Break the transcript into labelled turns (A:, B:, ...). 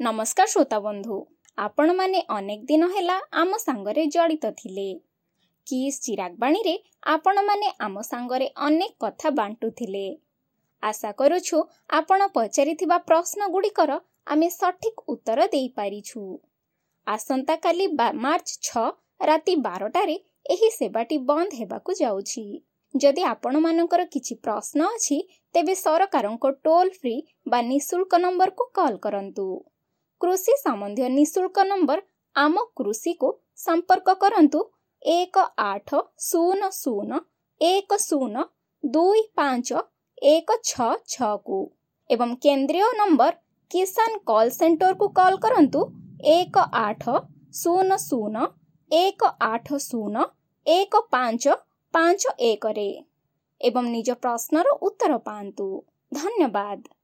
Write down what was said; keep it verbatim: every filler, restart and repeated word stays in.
A: ନମସ୍କାର ଶ୍ରୋତା ବନ୍ଧୁ, ଆପଣମାନେ ଅନେକ ଦିନ ହେଲା ଆମ ସାଙ୍ଗରେ ଜଡ଼ିତ ଥିଲେ। କିସ୍ ଚିରାଗବାଣୀରେ ଆପଣମାନେ ଆମ ସାଙ୍ଗରେ ଅନେକ କଥା ବାଣ୍ଟୁଥିଲେ। ଆଶା କରୁଛୁ ଆପଣ ପଚାରିଥିବା ପ୍ରଶ୍ନ ଗୁଡ଼ିକର ଆମେ ସଠିକ୍ ଉତ୍ତର ଦେଇପାରିଛୁ। ଆସନ୍ତାକାଲି ବା ମାର୍ଚ୍ଚ ଛଅ ରାତି ବାରଟାରେ ଏହି ସେବାଟି ବନ୍ଦ ହେବାକୁ ଯାଉଛି। ଯଦି ଆପଣମାନଙ୍କର କିଛି ପ୍ରଶ୍ନ ଅଛି, ତେବେ ସରକାରଙ୍କ ଟୋଲ୍ ଫ୍ରି ବା ନିଃଶୁଳ୍କ ନମ୍ବରକୁ କଲ୍ କରନ୍ତୁ। କୃଷି ସମ୍ବନ୍ଧୀୟ ନିଃଶୁଳ୍କ ନମ୍ବର ଆମ କୃଷିକୁ ସମ୍ପର୍କ କରନ୍ତୁ ଏକ ଆଠ ଶୂନ ଶୂନ ଏକ ଶୂନ ଦୁଇ ପାଞ୍ଚ ଏକ ଛଅ ଛଅକୁ ଏବଂ କେନ୍ଦ୍ରୀୟ ନମ୍ବର କିଷାନ କଲ୍ ସେଣ୍ଟରକୁ କଲ୍ କରନ୍ତୁ ଏକ ଆଠ ଶୂନ ଶୂନ ଏକ ଆଠ ଶୂନ ଏକ ପାଞ୍ଚ ପାଞ୍ଚ ଏକରେ ଏବଂ ନିଜ ପ୍ରଶ୍ନର ଉତ୍ତର ପାଆନ୍ତୁ। ଧନ୍ୟବାଦ।